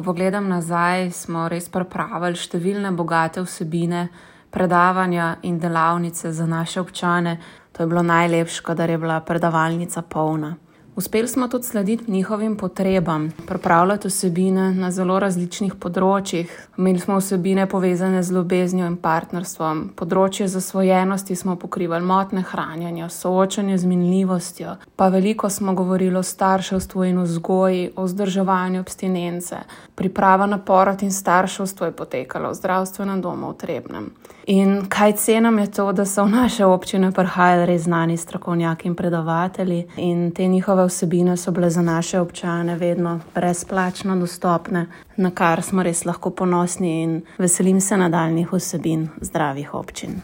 Ko pogledam nazaj, smo res pripravili številne bogate vsebine, predavanja in delavnice za naše občane. To je bilo najlepše, kadar je bila predavalnica polna. Uspeli smo tudi slediti njihovim potrebam, pripravljati vsebine na zelo različnih področjih. Imeli smo vsebine povezane z ljubeznijo in partnerstvom, področje zasvojenosti smo pokrivali, motnje hranjenja, soočanje z minljivostjo, pa veliko smo govorili o starševstvu in vzgoji, o vzdrževanju abstinence. Priprava na porod in starševstvo je potekala v zdravstvenem domu v Trebnjem. In kaj cenim je to, da so v naše občine prihajali res znani strokovnjaki in predavatelji in te njihove vsebine so bile za naše občane vedno brezplačno dostopne, na kar smo res lahko ponosni in veselim se nadaljnjih vsebin zdravih občin.